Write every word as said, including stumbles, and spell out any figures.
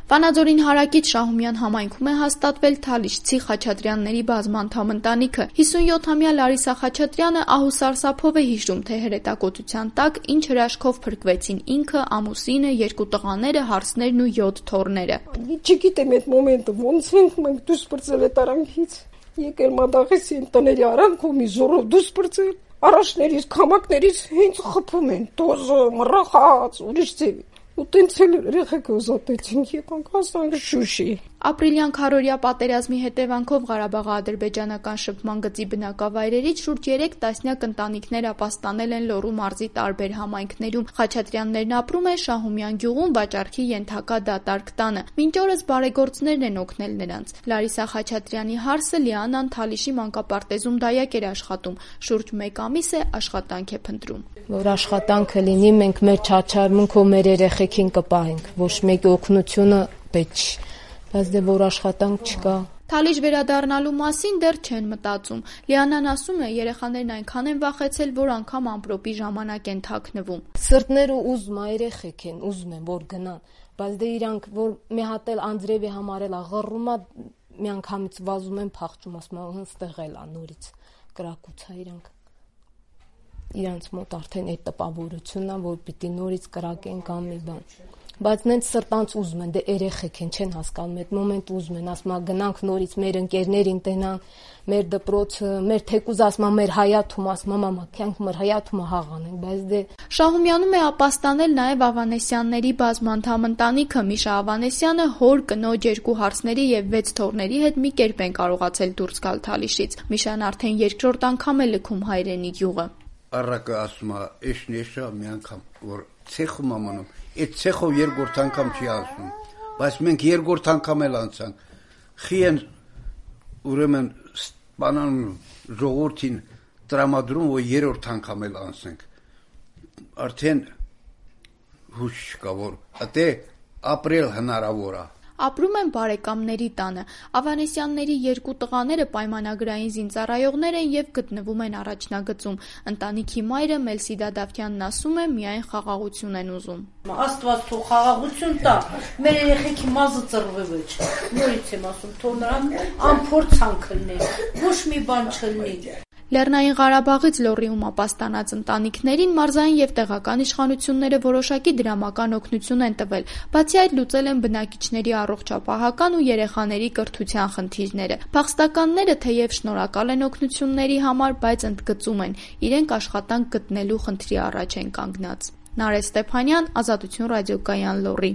Վանաձորին հարակից Շահումյան համայնքում է հաստատվել Թալիշցի Խաչատրյանների բազմանդամ ընտանիքը։ հիսունյոթամյա Լարիսա Խաչատրյանը ահուսարսափով է հիշում, թե հրետակոծության տակ ինչ հրաշքով փրկվեցին ինքը, ամուսինը, երկու տղաները, հարսներն ու յոթ թոռները։ Չգիտեմ այդ մոմենտը ոնց ենք մենք դուրս բրծել այդ արանքից։ Եկել մադաղեսի տների արանքում մի զորով դուրս բրծել։ Առաջներից, քամակներից հենց խփում են, տոզը, մռախած, ուրիշ ձևի։ Ու տենց էլ երեխեքը ուզատեցինք, եկանք հասանք Շուշի։ Ապրիլյան քառօրյա պատերազմի հետևանքով Ղարաբաղի-ադրբեջանական շփման գծի բնակավայրերից շուրջ երեք տասնյակ ընտանիքներ ապաստանել են Լոռու մարզի տարբեր համայնքներում։ Խաչատրյաններն ապրում են Շահումյան գյուղում վաճառքի ենթակա դատարկ տանը։ Մինչ օրս բարեգործներն են օգնել նրանց։ Լարիսա Խաչատրյանի հարսը Լիանան Թալիշի մանկապարտեզում դայակ էր աշխատում։ Շուրջ մեկ ամիս է աշխատանք է փնտրում։ Որ աշխատանքը լինի, մենք մեր չարչարմունքով մեր երեխեքին կպահենք, ոչ մեկի օգնությունը պետք չի, բայց դե որ աշխատանք չկա։ Թալիշ վերադառնալու մասին դեռ չեն մտածում։ Լիանան ասում է, երեխաներն այնքան են վախեցել, որ անգամ ամպրոպի ժամանակ են թաքնվում։ Սրտները ուզում է, երեխեք են, ուզում են, որ գնան, բայց դե իրանք որ մի հատ էլ Անդրեևի համարել աղռում է, մի անգամից վազում են փախչում, ասում են հստեղ էլ է նորից կրակուցա իրանք։ Իրանց մոտ արդեն այդ տպավորությունն է, որ պիտի նորից կրակեն կամ մի բան։ Բայց նենց սրտանց ուզում են, դե երեխեք են, չեն հասկանում, այդ մոմենտ ուզում են, ասում են գնանք նորից մեր ընկերներին տենանք, մեր դպրոցը, մեր թեկուզ ասում են մեր հայաթում, ասում են մամա, կյանք մեր հայաթումը հաղանենք, բայց դե Շահումյանում է ապաստանել նաև Ավանեսյանների բազմանդամ ընտանիքը։ Միշա Ավանեսյանը հոր, կնոջ, երկու հարսների եւ վեց թոռների հետ մի կերպ են կարողացել դուրս գալ Թալիշից։ Միշան արդեն երկրորդ անգամ է լքում հայրենի գյուղը։ Առակը ասում է, էշն էշա մի անգամ, որ ցեխում ամանում, այդ ցեխով երկրորդ անգամ չի ասում, բայց մենք երկրորդ անգամ էլ անցանք, խի են ուրեմն բանան ժողովրդին տրամադրում, որ երրորդ անգամ էլ անցնենք, արդեն հուշ չկա, որ ատե ապրել հնարավոր է։ Ապրում են բարեկամների տանը։ Ավանեսյանների երկու տղաները պայմանագրային զինծառայողներ են եւ գտնվում են առաջնագծում։ Ընտանիքի մայրը Մելսիդա Դավթյանն ասում է, միայն խաղաղություն են ուզում։ Աստված թող խաղաղություն տա, մեր երեխեքի մազը ծռվի ոչ։ Նորից եմ ասում, թող նրան անփորձանք լինի, ոչ մի բան չլինի։ Լեռնային Ղարաբաղից Լոռիում ապաստանած ընտանիքներին մարզային եւ տեղական իշխանությունները որոշակի դրամական օգնություն են տվել։ Բացի այդ, լուծել են բնակիչների առողջապահական ու երեխաների կրթության խնդիրները։ Փախստականները թեև շնորհակալ են օգնությունների համար, բայց ընդգծում են, իրենք աշխատանք գտնելու խնդրի առաջ են կանգնած։ Նարեկ Ստեփանյան, Ազատություն ռադիոկայան, Լոռի։